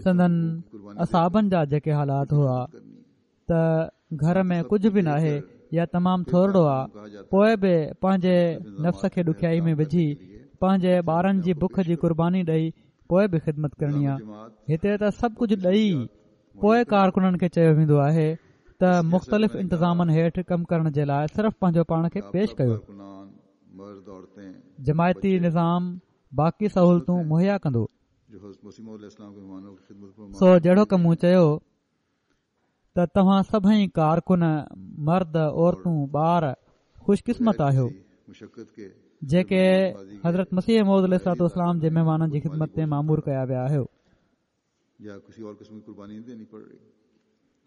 سندن اصحابن جا جيڪي حالات هئا ته گهر ۾ ڪجهه به ناهي يا تمام ٿورڙو آ پوء به پنهنجي نفس کي ڏکيائي ۾ وجهي پنهنجي ٻارن جي بک جي قرباني ڏئي پوء به خدمت ڪرڻي آ هتي ته سڀ ڪجهه ڏئي پوء ڪارڪنن کي چيو ويندو آهي ته مختلف انتظامن هيٺ ڪم ڪرڻ جي لاء صرف پنهنجو پاڻ کي پيش ڪيو جماعتي نظام باقي سهولتون مهيا ڪندو سو جهڙوڪ مون چيو ته توهان سڀئي ڪارڪن مرد عورتون ٻار خوش قسمت آهيو جيڪي حضرت مسيح موعود عليه الصلوة والسلام جي مهمانن جي خدمت تي مامور ڪيا ويا آهيو.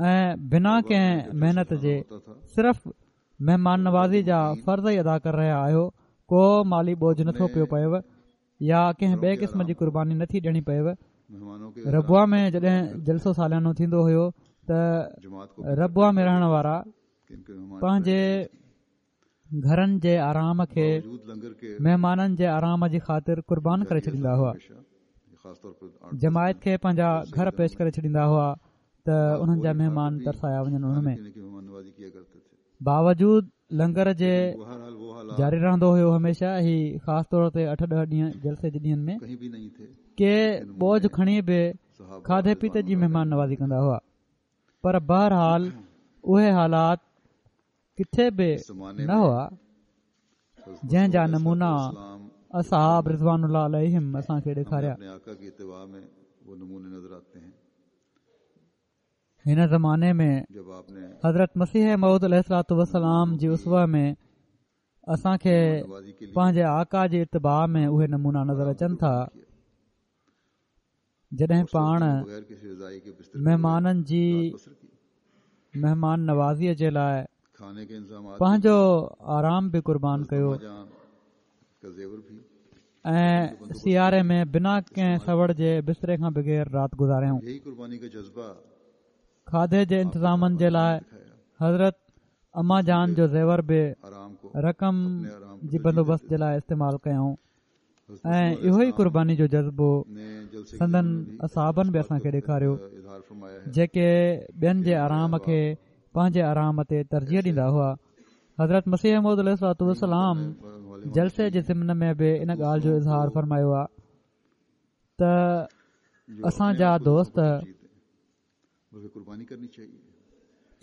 ۽ بنا ڪنهن محنت جي صرف مهمان نوازي جا فرض ئي ادا ڪري رهيا آهيو ڪو مالي بوجه نٿو پيو پئيو يا ڪنهن ٻئي قسم جي قرباني نٿي ڏيڻي پئيو. ربوه ۾ جڏهن جلسو ساليانو ٿيندو هيو ته ربوه ۾ رهڻ وارا پنهنجي گهرن جي آرام کي مهمانن جي آرام جي خاطر قربان ڪري ڇڏيندا هئا. جماعت کي پنهنجا گهر پيش ڪري ڇڏيندا هئا ته انهن جا مهمان ترسايا وڃن ان ۾. باوجود لنگر جي جاري رهندو هيو هميشه هي خاص طور تي اٺ ڏهه ڏينهن جلسي جي ڏينهن ۾ ڪي بوجه کڻي به کاڌي پيتي جي مهمان نوازي ڪندا هئا پر بهرحال اهي حالات ڪٿي به نه هئا جنهن جا نمونا اصحاب رضوان الله عليهم اسان کي ڏيکاريا. هن زماني ۾ حضرت مسيح موعود عليه الصلوة والسلام جي اسوه ۾ اسان کي پنهنجي آقا جي اتباع ۾ اهي نمونا نظر اچن ٿا جڏهن پاڻ مهمانن جي مهمان نوازيء جي لاء پنهنجو آرام به قربان ڪيو ۽ سياري ۾ بنا ڪنهن سوڙ جي بستري کان بغير رات گذاريائون. کاڌي جي انتظامن جي لاء حضرت اما جان جو زيور به رقم جي بندوبست جي لاء استعمال ڪيائون ۽ اهو ئي قرباني جو جذبو سندن اصحابن به اسان کي ڏيکاريو جيڪي ٻين جي آرام کي پنهنجي آرام تي ترجيح ڏيندا هئا. حضرت مسيح موعود عليه الصلوة والسلام جلسي جي ضمن ۾ به ان ڳالهه جو اظهار فرمايو آهي ته اسان جا دوست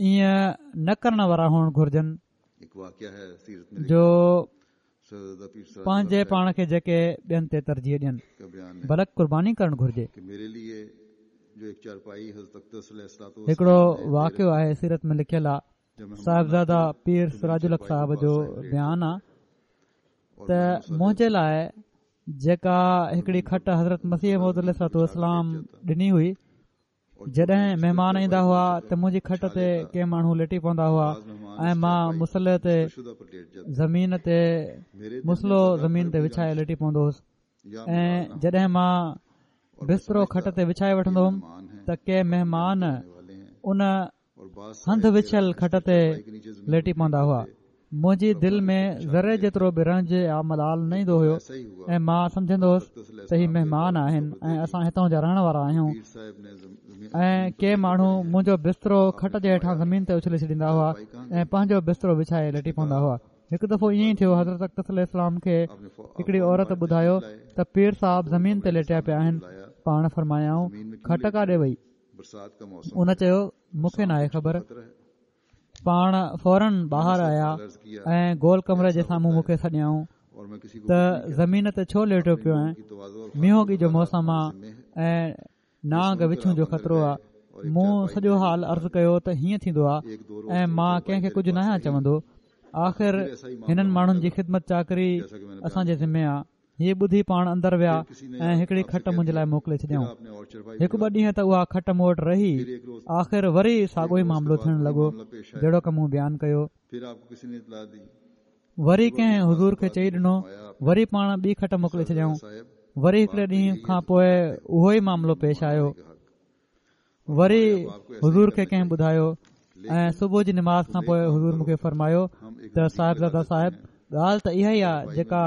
ائين نه ڪرڻ وارا هئڻ گهرجن جو پنهنجي پاڻ کي جيڪي ٻين تي ترجيح ڏين بلڪ قرباني ڪرڻ گهرجي هڪڙو واقعو آهي سيرت ۾ لکيل آهي صاحبزاده پير سراج الحق صاحب جو بيان آ ته منهنجي لاء جيڪا هڪڙي کٽ حضرت مسيح موعود عليه الصلوة والسلام ڏني هئي جڏهن مهمان ايندا هئا ته منهنجي کٽ تي ڪي ماڻهو ليٽي پوندا هئا ۽ مان مصلي تي زمين تي مصلو زمين تي وڇائي ليٽي پوندو هوس ۽ جڏهن مان بسترو کٽ تي وڇائي وٺندو هوم ته ڪي مهمان ان هنڌ وڇيل کٽ تي ليٽي پوندا هئا. منهنجي دل ۾ ذري جيترو به رنج يا ملال نه ايندو هيو ۽ مان سمجهندو هوس ته هي مهمان آهن ۽ اسان هتان جا رهڻ وارا آهيون ۽ ڪي ماڻهو منهنجو بسترو کٽ جي هيٺان زمين تي اڇلي ڇڏيندا هئا ۽ پنهنجو بسترو وڇائي ليٽي پوندا هئا. هڪ دفعو ائين ئي ٿيو حضرت اقدس عليه السلام کي هڪڙي عورت ٻڌايو ته پير صاحب زمين تي ليٽيا پيا آهن پاڻ فرمايائون کٽ ڪاڏي وئي ان چيو مون کي ناهي خبر پاڻ فورن ٻاهر آيا ۽ گول ڪمري جي سامهون مون کي سڏيائون ته زمين تي ڇو ليٽيو پيو آهين مينهوڳي جو موسم آ ۽ نانگ وڇون جو خطرو آ. مون سڄو حال عرض ڪيو ته هيئن ٿيندو آ ۽ مان ڪنهن کي ڪجهه ناهيان چوندو. آخر هنن ماڻهن جي خدمت چاڪري اسان جي ذمي آ. هي ٻڌي پاڻ اندر ويا ۽ هڪڙي کٽ منهنجي لاء موڪلي ڇڏيائون. هڪ ٻه ڏينهن ته اها کٽ مون وٽ رهي. آخر وري ساڳيو ئي معاملو ٿيڻ لڳو جهڙوڪ مون بيان ڪيو. وري ڪنهن حضور کي چئي ڏنو وري پاڻ ٻي کٽ موڪلي ڇڏيائون وري هڪڙي ڏينهن کان پوء اهو ئي معاملو پيش آيو وري حضور کي ڪنهن ٻڌايو ۽ صبح جي نماز کان پوء حضور مون کي فرمايو ته صاحبزاده صاحب ڳالهه ته اها ئي آهي جيڪا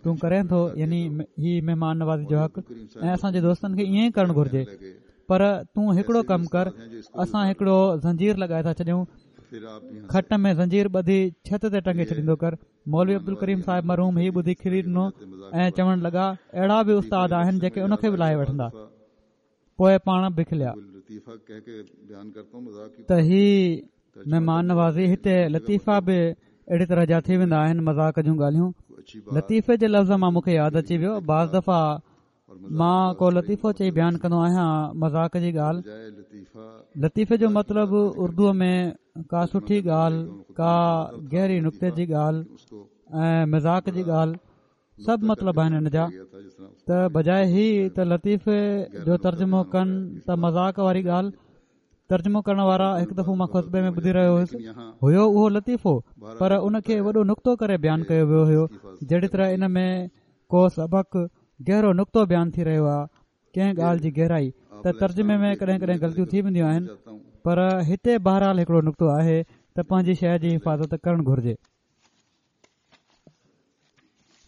تون ڪرين ٿو يعني هي مهمان نوازي جو حق ۽ اسان جي دوستن کي ائين ئي ڪرڻ گهرجي پر تون هڪڙو ڪم ڪر اسان هڪڙو زنجير لڳائي ٿا ڇڏيون کٽ ۾ زنجير ٻڌي ڇت تي ٽنگي ڇڏيندو ڪر. مولوي عبدالڪريم صاحب مرحوم هي ٻڌي کلي ڏنو ۽ چوڻ لڳا اهڙا به استاد آهن جيڪي ان کي به لاهي وٺندا. پوء پاڻ به کليا. ته هي مهمان نوازي هتي لطيفا به اهڙي طرح جا ٿي ويندا آهن مذاق جون ڳالهيون. لطيفي جي لفظ مان مون کي ياد اچي ويو بعض دفعا مان ڪو لطيفو چئي بيان ڪندو آهيان مذاق جي ڳالهه لطيفي جو مطلب اردوء ۾ ڪا سٺي ڳالهه ڪا گهري نڪتي جي ڳالهه ۽ مذاق جي ڳالهه سڀ مطلب آهن ان جا ته بجاء هي ته لطيفي جو ترجمو ڪن ته مذاق واري ڳالهه ترجمو ڪرڻ وارا هڪ دفعو مان خطبي ۾ ٻڌي رهيو هيس هيو اهو لطيفو پر ان کي وڏو نڪتو ڪري بيان ڪيو ويو هيو جهڙي طرح ان ۾ ڪو سبق گهرو نڪتو بيان ٿي رهيو آهي ڪنهن ڳالهه جي گهرائي ته ترجمي ۾ ڪڏهن ڪڏهن غلطيون ٿي وينديون آهن پر هتي بهرحال هڪڙو نڪتو آهي ته پنهنجي شيء جي حفاظت ڪرڻ گهرجي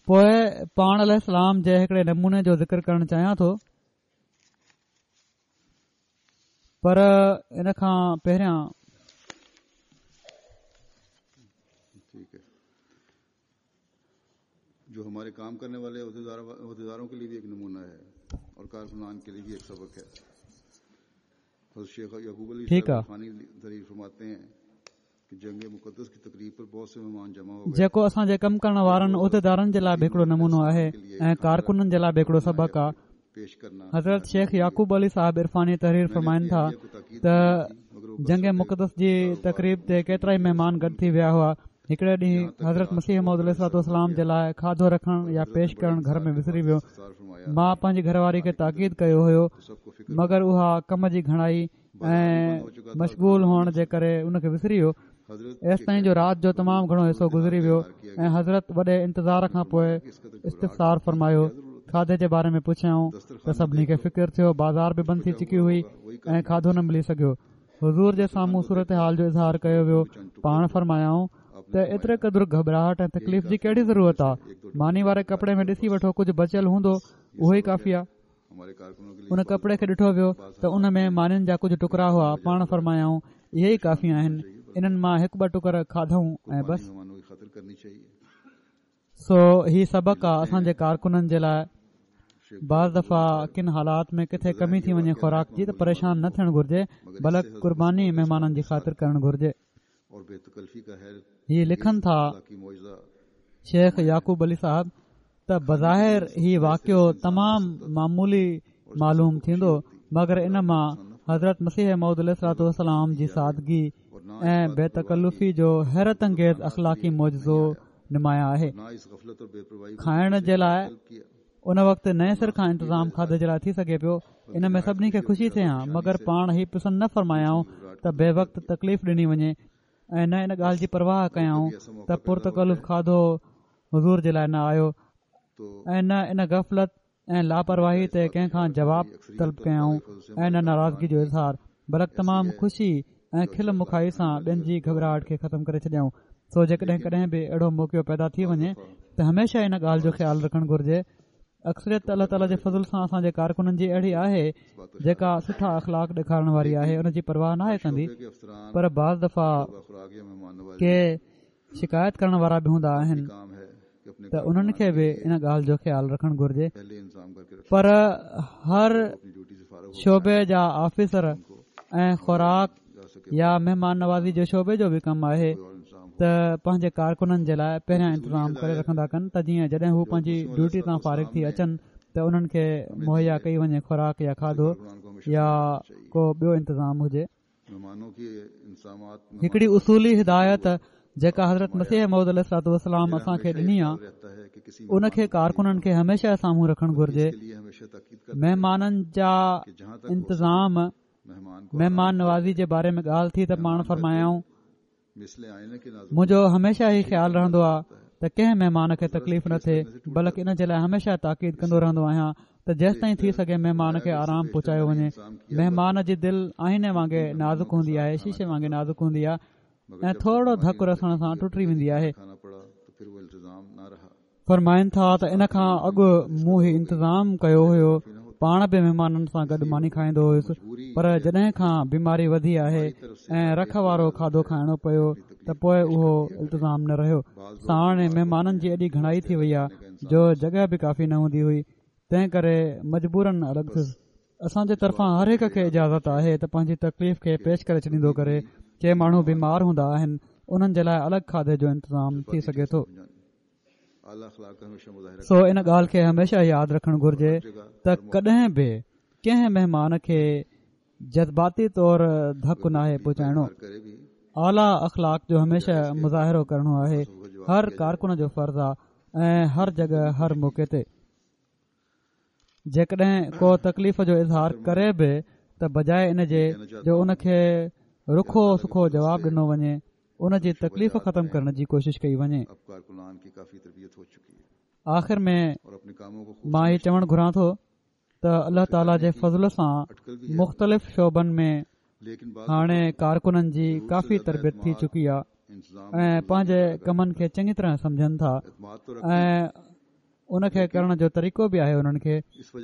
پوء پاڻ عليه السلام جي هڪڙي نموني جو ذڪر ڪرڻ چاهيان ٿو پر ان کان پهريان جو هماري ڪام ڪرني والي عهديدارون ڪي ليي ڀي ايڪ نمونه هي اور ڪارڪنان ڪي ليي ڀي ايڪ سبق هي حضرت شيخ يعقوب علي ٺيڪ آ. عرفاني تحرير فرماتي هين ڪي جنگ مقدس ڪي تقريب پر بهت سي مهمان جمع هو گئي جيڪو اسان جي ڪم ڪرڻ وارن عهديدارن جي لاء به هڪڙو نمونو آهي ۽ ڪارڪنن جي لاء به هڪڙو سبق آ. پيش ڪرنا حضرت شيخ يعقوب علي صاحب عرفاني تحرير فرمائن ٿا ته جنگ مقدس جي تقريب تي ڪيترائي مهمان گڏ ٿي ويا هئا هڪڙي ڏينهن حضرت مسيح موعود عليه الصلوة والسلام جي لاء کاڌو رکڻ يا پيش ڪرڻ گهر ۾ وسري ويو مان پنهنجي گهر واري کي تاڪيد ڪيو هيو مگر اها ڪم جي گهڻائي ۽ مشغول هئڻ جي ڪري ان کي وسري ويو ايستائين جو رات جو تمام گهڻو حصو گذري ويو ۽ حضرت وڏي انتظار کان پوء استفسار فرمايو کاڌي جي باري ۾ پڇيائون ته سڀني کي فڪر ٿيو بازار به بند ٿي چڪي هئي ۽ کاڌو نه ملي سگهيو حضور جي سامهون صورتحال جو اظهار ڪيو ويو پاڻ فرمايائون ته ايتري قدر گهٻراهٽ ۽ تڪليف جي ڪهڙي ضرورت آ ماني واري ڪپڙي ۾ ڏسي وٺو ڪجهه بچيل هوندو اهو ئي ڪافي آ ان ڪپڙي کي ڏٺو ويو ته ان ۾ مانين جا ڪجهه ٽڪرا هئا پاڻ فرمايائون اهي ئي ڪافي آهن انهن مان هڪ ٻه ٽڪر کاڌائون ۽ بس سو هي سبق آ اسان جي ڪارڪنن جي لاء بعض دفعا ڪن حالات ۾ ڪٿي ڪمي ٿي وڃي خوراڪ جي ته پريشان نه ٿيڻ گهرجي بلڪ قرباني مهمانن جي خاطر ڪرڻ گهرجي هي لکن ٿا شيخ يعقوب علي صاحب ته بظاهر هي واقعو تمام معمولي معلوم ٿيندو مگر ان مان حضرت مسيح موعود عليه الصلوة والسلام جي سادگي ۽ بي تڪلفي جو حيرت انگيز اخلاقي معجزو نمايان آهي کائڻ جي لاء ان وقت نئين سر کان انتظام کاڌي جي لاء ٿي سگهي پيو ان ۾ سڀني کي خوشي ٿئي ها مگر پاڻ هي پسند نه فرمايائون ته بي وقت تڪليف ڏني وڃي ۽ نه ان ڳالهه جي پرواهه ڪيائون ته پرتڪلف کاڌو حضور جي لاء نه آيو ۽ نه ان غفلت ۽ لاپرواهي تي ڪنهن کان جواب طلب ڪيائون ۽ نه ناراضگي جو اظهار بلڪ تمام خوشي ۽ کل مکائي سان ٻين جي گهٻراهٽ کي ختم ڪري ڇڏيائون. سو جيڪڏهن ڪڏهن به اهڙو موقعو پيدا ٿي وڃي ته هميشه ان ڳالهه جو خيال رکڻ گهرجي. اڪثريت ته الله تعاليٰ جي فضل سان اسان جي ڪارڪنن جي اهڙي آهي جيڪا سٺا اخلاق ڏيکارڻ واري آهي ان جي پرواهه ناهي ڪندي پر بعض دفعا ڪي شڪايت ڪرڻ وارا به هوندا آهن ته انهن کي به ان ڳالهه جو خيال رکڻ گهرجي پر هر شعبي جا آفيسر ۽ خوراڪ يا مهمان نوازي جو شعبي جو به ڪم آهي ته پنهنجي ڪارڪنن جي لاء پهريان انتظام ڪري رکندا ڪن ته جيئن جڏهن هو پنهنجي ڊيوٽي تان فارغ ٿي اچن ته انهن کي مهيا ڪئي وڃي خوراڪ يا کاڌو يا ڪو ٻيو انتظام هجي. هڪڙي اصولي هدايت جيڪا حضرت مسيح موعود عليه الصلوة والسلام اسان کي ڏني آ ان کي ڪارڪنن کي هميشه سامهون رکڻ گهرجي مهمانن جا انتظام مهمان نوازي جي باري ۾ ڳالهه ٿي ته پاڻ فرمايائون منهنجو هميشه هي خيال رهندو آهي ته ڪنهن مهمان کي تڪليف نه ٿئي بلڪ ان جي لاء هميشه تاڪيد ڪندو رهندو آهيان ته جيستائين ٿي سگهي مهمان کي آرام پهچايو وڃي مهمان جي دل آئيني وانگي نازڪ هوندي آهي شيشي وانگي نازڪ هوندي آهي ۽ ٿورڙو ڌڪ رسڻ سان ٽٽي ويندي آهي فرمائن ٿا ته ان کان اڳ مون هي انتظام ڪيو هيو پاڻ به مهمانن سان گڏ ماني کائيندو هيس پر جڏهن کان بيماري وڌي آهي ۽ رک وارو کاڌو کائڻو پيو ته پوء اهو التزام نه رهيو ساڻ مهمانن جي ايڏي گهڻائي ٿي وئي آهي جو جڳهه به ڪافي نه هوندي هئي تنهن ڪري مجبورن الڳ ٿيس اسان جي طرفان هر هڪ کي اجازت آهي ته پنهنجي تڪليف کي پيش ڪري ڇڏيندو ڪري ڪي ماڻهو بيمار هوندا آهن انهن جي لاء الڳ کاڌي جو انتظام ٿي سگهي ٿو سو ان ڳالهه کي هميشه ياد رکڻ گهرجي ته ڪڏهن به ڪنهن مهمان کي جذباتي طور ڌڪ ناهي پهچائڻو اعليٰ اخلاق جو هميشه مظاهرو ڪرڻو آهي هر ڪارڪن جو فرض آهي ۽ هر جڳهه هر موقعي تي جيڪڏهن ڪو تڪليف جو اظهار ڪري به ته بجاء ان جي جو ان کي رکو سکو جواب ڏنو وڃي ان جي تڪليف ختم ڪرڻ جي ڪوشش ڪئي وڃي. آخر ۾ مان هي چوڻ گهران ٿو ته الله تعالي جي فضل سان مختلف شعبن ۾ هاڻي ڪارڪنن جي ڪافي تربيت ٿي چڪي آهي ۽ پنهنجي ڪمن کي چڱي طرح سمجهن ٿا ۽ ان کي ڪرڻ جو طريقو به آهي انهن کي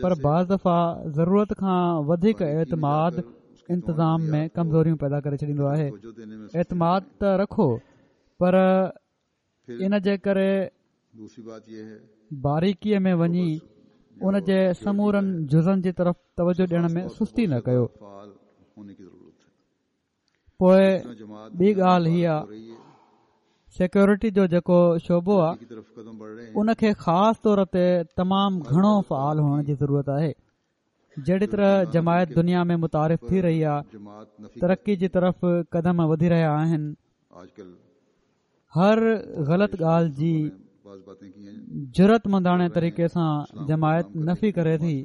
پر بعض دفعا ضرورت کان وڌيڪ اعتماد انتظام ۾ ڪمزوريون پيدا ڪري ڇڏيندو آهي اعتماد ته رکو پر ان جي ڪري باريڪيء ۾ وڃي ان جي سمورن جزن جي طرف توجه ڏيڻ ۾ سستي نه ڪيو. پوء ٻي ڳالهه هي آ سيڪيورٽي جو جيڪو شعبو آ ان کي خاص طور تي تمام گهڻو فعال هئڻ جي ضرورت آهي جهڙي طرح جماعت دنيا ۾ متعارف ٿي رهي آ ترقي جي طرف قدم وڌي رهيا آهن هر غلط ڳالهه جي جرئت منداڻي طريقي سان جماعت نفي ڪري ٿي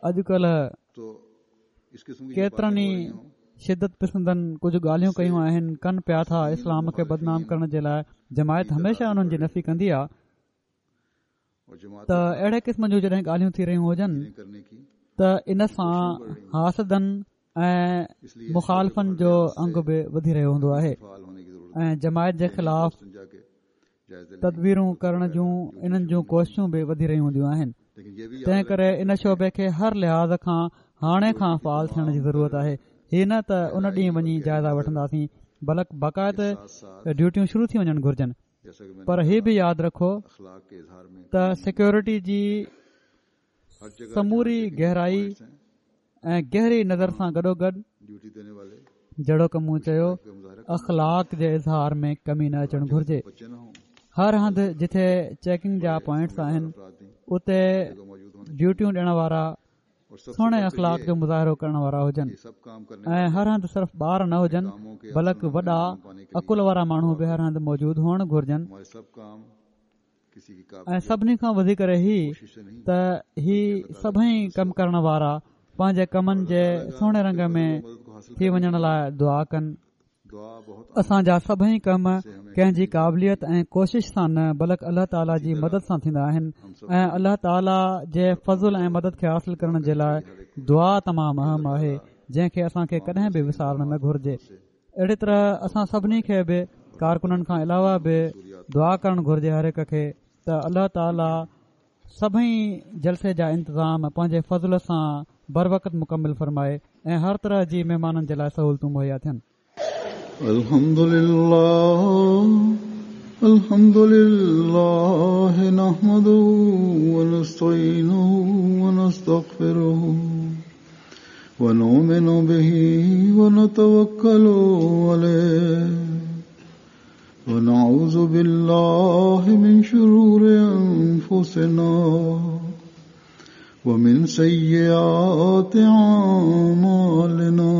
اڄڪلهه ڪيترن ئي شدت پسندن ڪجهه ڳالهيون ڪيون آهن ڪن پيا ٿا اسلام کي بدنام ڪرڻ جي لاء جماعت هميشه انهن جي نفي ڪندي آهي ته اهڙي قسم جون جڏهن ڳالهيون ٿي رهيون هجن ته ان سان حاسدن ۽ مخالفن جو انگ به وڌي رهيو هوندو آهي ۽ جماعت جي خلاف تدبيرون ڪرڻ جون انهن جون ڪوششون به وڌي رهيون هونديون آهن تنهن ڪري ان شعبي کي هر لحاظ کان هاڻي کان فعال ٿيڻ جي ضرورت آهي هي نه ته ان ڏينهن وڃي جائزا وٺنداسين بلڪ باقاعده ڊيوٽيون شروع ٿي وڃڻ گهرجن پر هي به ياد رکو ته سيڪيورٽي جي سموري گهرائي ۽ گهري نظر سان گڏوگڏ جهڙوڪ مون چيو اخلاق جي اظهار ۾ ڪمي نه اچڻ گهرجي هر هنڌ جٿي چيڪنگ جا پوائنٽس آهن اتي ڊيوٽيون ڏيڻ وارا سهڻي اخلاق جو مظاهرو ڪرڻ وارا هجن ۽ هر هنڌ صرف ٻار نه هجن بلڪ وڏا عقل وارا ماڻهو به هر هنڌ موجود هئڻ گهرجن ۽ سڀني کان وڌي ڪري هي ته هي سڀئي ڪم ڪرڻ وارا پنهنجي ڪمن جي سهڻي رنگ ۾ ٿي وڃڻ لاء دعا ڪن. اسان جا سڀئي ڪم ڪنهن جي قابليت ۽ ڪوشش سان نه بلڪ الله تعاليٰ جي مدد سان ٿيندا آهن ۽ الله تعاليٰ جي فضل ۽ مدد کي حاصل ڪرڻ جي لاء دعا تمام اهم آهي جنهن کي اسان کي ڪڏهن به وسارڻ نه گهرجي اهڙي طرح اسان سڀني کي به ڪارڪنن کان علاوه به دعا ڪرڻ گهرجي هر هڪ کي ته الله تعاليٰ سڀئي جلسي جا انتظام پنهنجي فضل سان بروقت مڪمل فرمائي ۽ هر طرح جي مهمانن جي لاء سهولتون مهيا ٿين. الحمد لله الحمد لله نحمده ونستعينه ونستغفره ونؤمن به ونتوكل عليه ونعوذ بالله من شرور أنفسنا ومن سيئات أعمالنا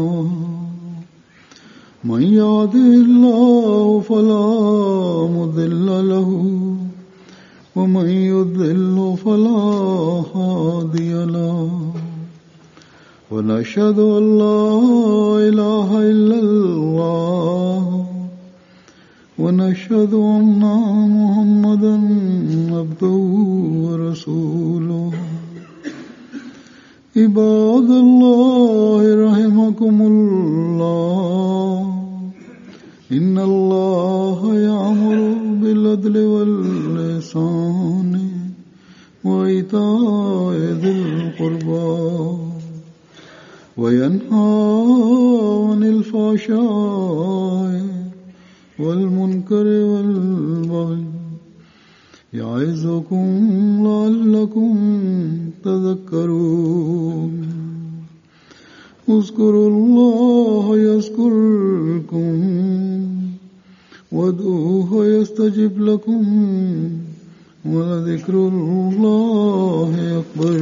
من يهده الله فلا مضل له ومن يضلل فلا هادي له ونشهد أن لا إله إلا الله ونشهد أن محمدا عبده ورسوله عباد الله رحمكم الله إن الله يأمر بالعدل واللسان وإيتاء ذي القربى وينهى عن الفحشاء والمنكر والبغي يعظكم لعلكم تذكرون اذكروا الله يذكركم وادعوه يستجب لكم ولذكر الله أكبر.